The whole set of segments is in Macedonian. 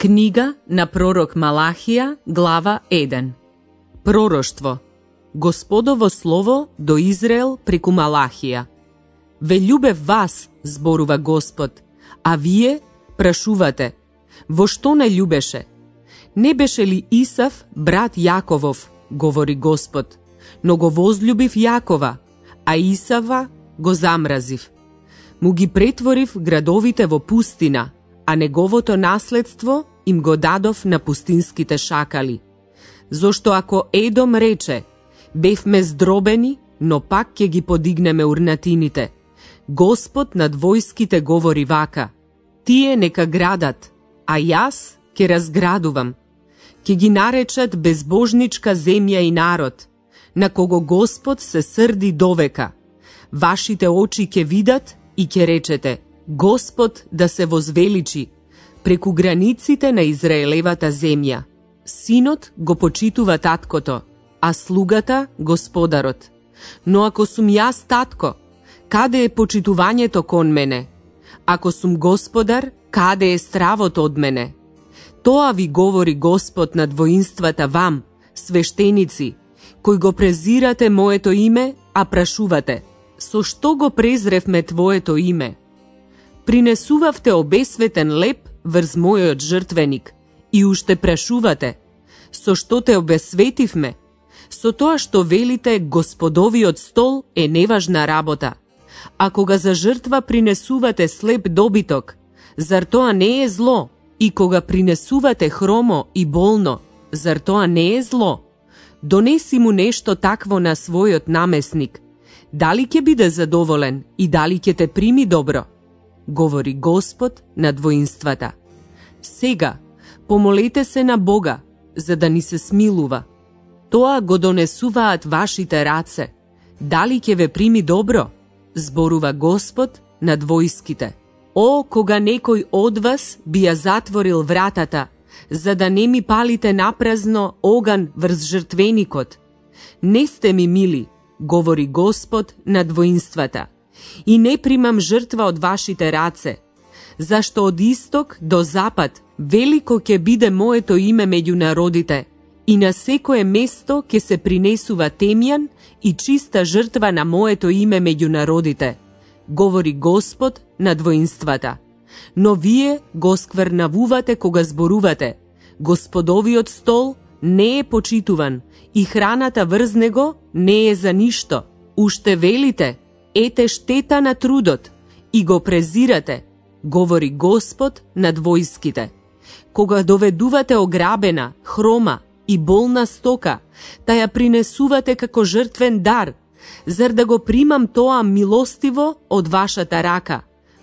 Книга на пророк Малахија, глава 1. Пророштво. Господово слово до Израел преку Малахија. Ве љубев вас, зборува Господ, а вие прашувате, во што не љубеше? Не беше ли Исав брат Јаковов, говори Господ, но го возљубив Јакова, а Исава го замразив. Му ги претворив градовите во пустина, а неговото наследство им го дадов на пустинските шакали. Зошто ако Едом рече, бевме здробени, но пак ќе ги подигнеме урнатините, Господ над војските говори вака, тие нека градат, а јас ќе разградувам. Ќе ги наречат безбожничка земја и народ, на кого Господ се срди довека. Вашите очи ќе видат и ќе речете, Господ да се возвеличи преку границите на Израелевата земја. Синот го почитува таткото, а слугата господарот. Но ако сум јас татко, каде е почитувањето кон мене? Ако сум господар, каде е стравото од мене? Тоа ви говори Господ над воинствата вам, свештеници, кои го презирате моето име, а прашувате, со што го презревме твоето име? Принесувавте обесветен леп врз мојот жртвеник и уште прашувате, со што те обесветивме? Со тоа што велите Господовиот стол е неважна работа. А кога за жртва принесувате слеп добиток, зар тоа не е зло? И кога принесувате хромо и болно, зар тоа не е зло? Донеси му нешто такво на својот намесник. Дали ќе биде задоволен и дали ќе те прими добро? Говори Господ над воинствата. Сега, помолете се на Бога, за да ни се смилува. Тоа го донесуваат вашите раце. Дали ќе ве прими добро? Зборува Господ над војските. О, кога некој од вас би ја затворил вратата, за да не ми палите напразно оган врз жртвеникот. Не сте ми мили, говори Господ над воинствата, и не примам жртва од вашите раце, зашто од исток до запад велико ќе биде моето име меѓу народите, и на секое место ќе се принесува темјан и чиста жртва на моето име меѓу народите, говори Господ над воинствата. Но вие го сквернавувате кога зборувате, Господовиот стол не е почитуван и храната врз него не е за ништо. Уште велите, ете штета на трудот и го презирате, говори Господ над војските. Кога доведувате ограбена, хрома и болна стока, та ја принесувате како жртвен дар, зар да го примам тоа милостиво од вашата рака,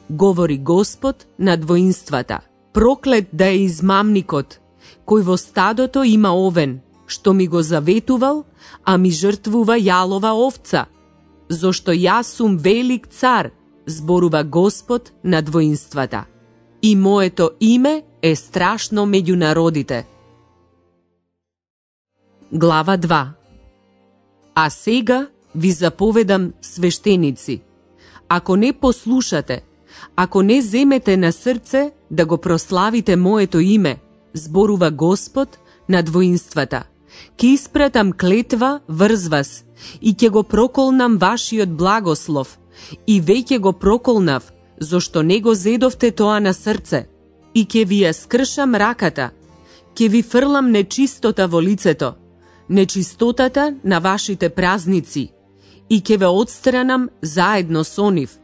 говори Господ над воинствата. Проклет да е измамникот, кој во стадото има овен, што ми го заветувал, а ми жртвува јалова овца. Зошто јас сум велик цар, зборува Господ над воинствата. И моето име е страшно меѓу народите. Глава 2. А сега ви заповедам, свештеници, ако не послушате, ако не земете на срце да го прославите моето име, зборува Господ над воинствата, ќе испратам клетва врз вас и ќе го проколнам вашиот благослов, и веќе го проколнав, зошто не го зедовте тоа на срце, и ќе ви ја скршам раката, ќе ви фрлам нечистота во лицето, нечистотата на вашите празници, и ќе ве отстранам заедно со нив.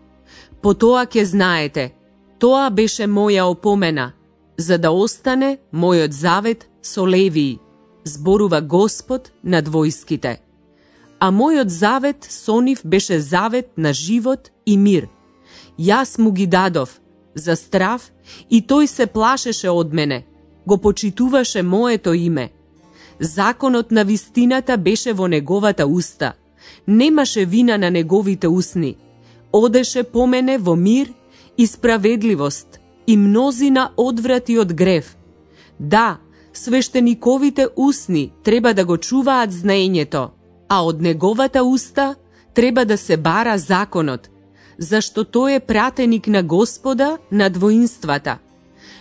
Потоа ќе знаете, тоа беше моја опомена, за да остане мојот завет со Левии, зборува Господ над војските. А мојот завет со нив беше завет на живот и мир. Јас му ги дадов за страв и тој се плашеше од мене, го почитуваше моето име. Законот на вистината беше во неговата уста, немаше вина на неговите усни. Одеше по мене во мир и справедливост и мнозина одврати од грев. Да, свештениковите усни треба да го чуваат знаењето, а од неговата уста треба да се бара законот, зашто тој е пратеник на Господа над воинствата.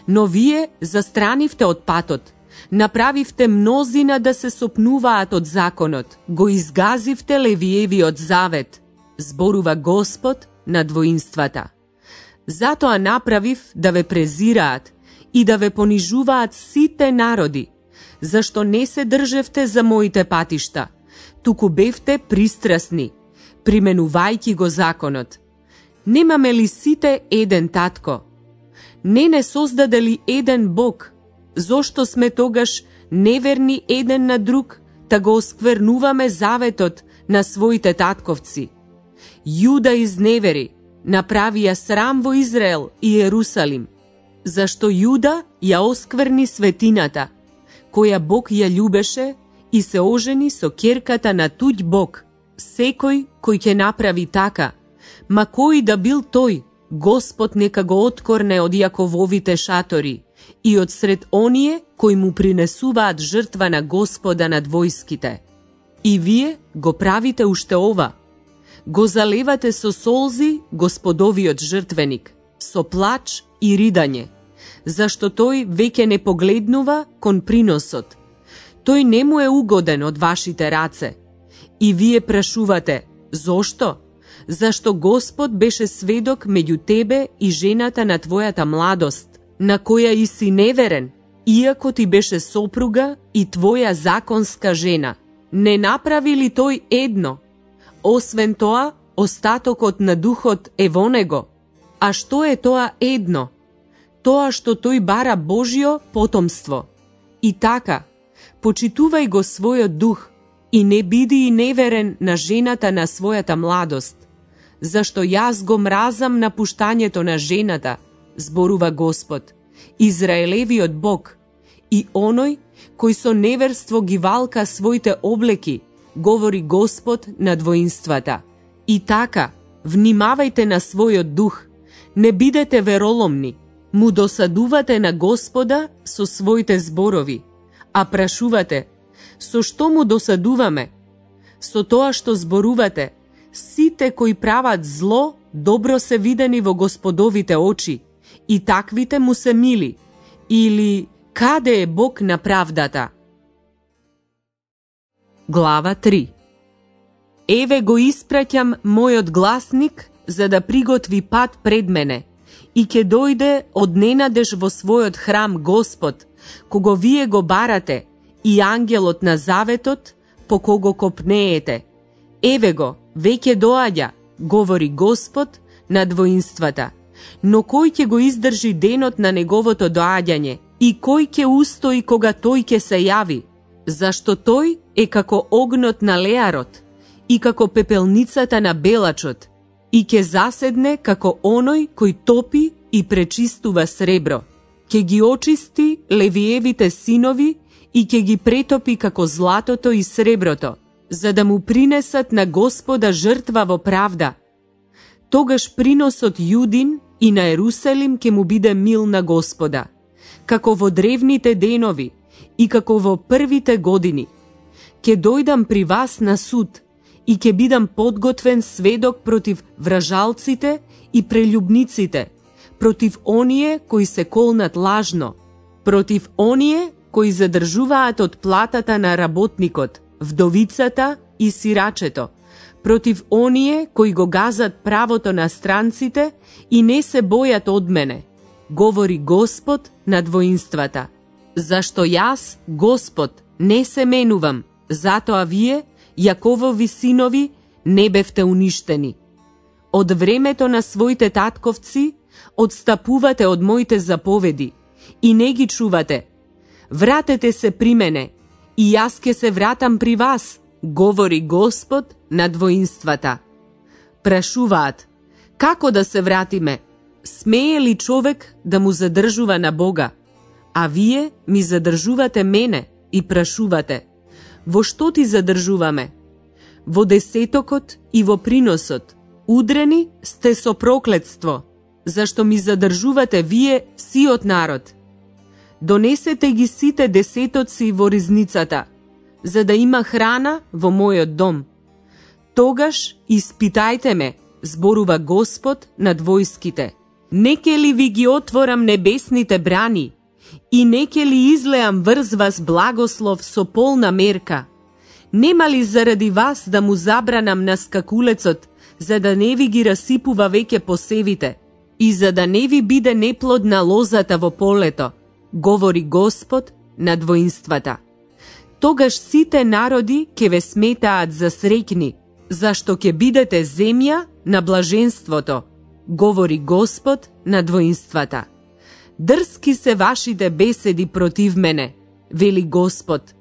Но вие застранивте од патот, направивте мнозина да се сопнуваат од законот, го изгазивте Левиевиот завет, зборува Господ на двоинствата. Затоа направив да ве презираат и да ве понижуваат сите народи, зашто не се држевте за моите патишта, туку бевте пристрасни, применувајќи го законот. Немаме ли сите еден татко? Не создаде ли еден Бог? Зошто сме тогаш неверни еден на друг, та го осквернуваме заветот на своите татковци? Јуда изневери, направија срам во Израел и Ерусалим, зашто Јуда ја оскверни светината, која Бог ја љубеше, и се ожени со ќерката на туѓ Бог. Секој кој ќе направи така, ма кој да бил тој, Господ нека го откорне од Јакововите шатори и од сред оние кои му принесуваат жртва на Господа над војските. И вие го правите уште ова. Го залевате со солзи Господовиот жртвеник, со плач и ридање, зашто тој веќе не погледнува кон приносот. Тој не му е угоден од вашите раце. И вие прашувате, зошто? Зашто Господ беше сведок меѓу тебе и жената на твојата младост, на која и си неверен, иако ти беше сопруга и твоја законска жена. Не направи ли тој едно? Освен тоа, остатокот на духот е во него. А што е тоа едно? Тоа што тој бара Божјо потомство. И така, почитувај го својот дух и не биди и неверен на жената на својата младост, зашто јас го мразам напуштањето на жената, зборува Господ, Израелевиот Бог, и оној кој со неверство ги валка своите облеки, говори Господ на двоинствата. И така, внимавајте на својот дух, не бидете вероломни, му досадувате на Господа со своите зборови, а прашувате, со што му досадуваме? Со тоа што зборувате, сите кои прават зло, добро се видени во Господовите очи, и таквите му се мили, или каде е Бог на правдата? Глава 3. Еве го испраќам мојот гласник за да приготви пат пред мене, и ќе дојде од ненадеж во својот храм Господ, кого вие го барате, и ангелот на заветот, по кого копнеете. Еве го, веќе доаѓа, говори Господ на двоинствата. Но кој ќе го издржи денот на неговото доаѓање и кој ќе устои кога тој ќе се јави? Зашто тој е како огнот на леарот и како пепелницата на белачот и ќе заседне како оној кој топи и пречистува сребро. Ќе ги очисти Левиевите синови и ќе ги претопи како златото и среброто, за да му принесат на Господа жртва во правда. Тогаш приносот Јудин и на Ерусалим ќе му биде мил на Господа, како во древните денови и како во првите години. Ќе дојдам при вас на суд и ќе бидам подготвен сведок против вражалците и прелюбниците, против оние кои се колнат лажно, против оние кои задржуваат од платата на работникот, вдовицата и сирачето, против оние кои го газат правото на странците и не се бојат од мене, говори Господ на двоинствата. Зашто јас, Господ, не се менувам, затоа вие, Јаковови синови, не бевте уништени. Од времето на своите татковци одстапувате од моите заповеди и не ги чувате. Вратете се при мене и јас ќе се вратам при вас, говори Господ на двоинствата. Прашуваат, како да се вратиме? Смее ли човек да му задржува на Бога? А вие ми задржувате мене и прашувате, во што ти задржуваме? Во десетокот и во приносот. Удрени сте со проклетство, зашто ми задржувате вие сиот народ. Донесете ги сите десетоци во ризницата, за да има храна во мојот дом. Тогаш испитајте ме, зборува Господ над војските, Неке ли ви ги отворам небесните брани и неке ли излеам врз вас благослов со полна мерка? Нема ли заради вас да му забранам на скакулецот, за да не ви ги расипува веќе посевите и за да не ви биде неплодна лозата во полето, говори Господ на двоинствата. Тогаш сите народи ќе ве сметаат за среќни, зашто ќе бидете земја на блаженството, говори Господ на двоинствата. Дрски се вашите беседи против мене, вели Господ.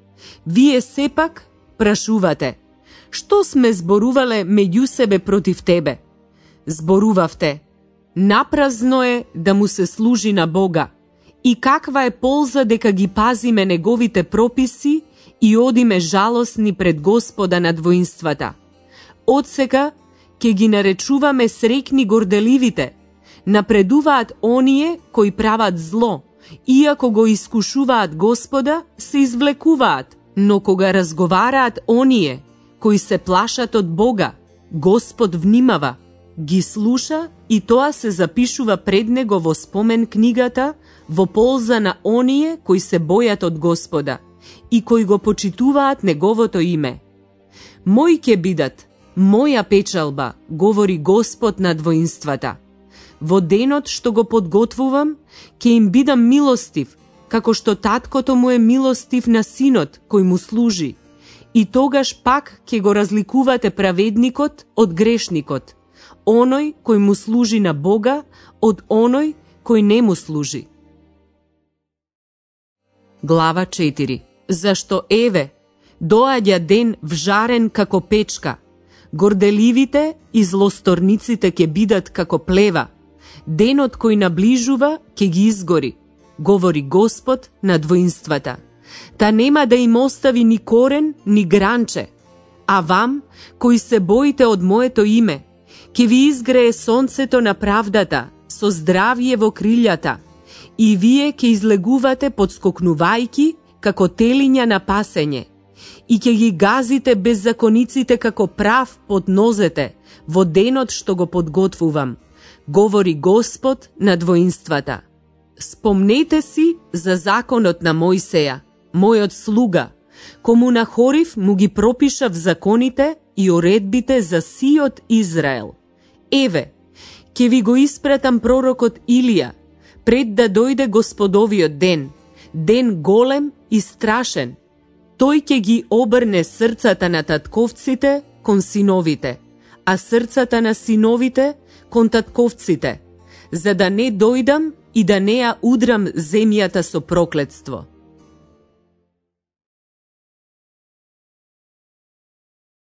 Вие сепак прашувате, што сме зборувале меѓу себе против тебе? Зборувавте, напразно е да му се служи на Бога и каква е полза дека ги пазиме неговите прописи и одиме жалосни пред Господа на двоинствата. Отсека ќе ги наречуваме среќни горделивите, напредуваат оние кои прават зло, иако го искушуваат Господа, се извлекуваат, но кога разговараат оние кои се плашат од Бога, Господ внимава, ги слуша и тоа се запишува пред него во спомен книгата во полза на оние кои се бојат од Господа и кои го почитуваат неговото име. Мој ќе бидат, моја печалба, говори Господ на двоинствата. Во денот што го подготвувам, ќе им бидам милостив, како што таткото му е милостив на синот кој му служи. И тогаш пак ќе го разликувате праведникот од грешникот, оној кој му служи на Бога од оној кој не му служи. Глава 4. Зашто еве, доаѓа ден вжарен како печка, горделивите и злосторниците ќе бидат како плева, денот кој наближува ќе ги изгори, говори Господ на двоинствата. Та нема да им остави ни корен, ни гранче. А вам, кои се боите од моето име, ќе ви изгрее сонцето на правдата, со здравје во крилјата, и вие ќе излегувате подскокнувајки како телиња на пасење, и ќе ги газите беззакониците како прав под нозете во денот што го подготвувам, говори Господ на двоинствата. Спомнете си за законот на Мојсеја, мојот слуга, кому на Хорив му ги пропишав законите и уредбите за сиот Израел. Еве, ќе ви го испратам пророкот Илија, пред да дојде Господовиот ден, ден голем и страшен. Тој ќе ги обрне срцата на татковците кон синовите, а срцата на синовите кон татковците, за да не дојдам и да не ја удрам земјата со проклетство.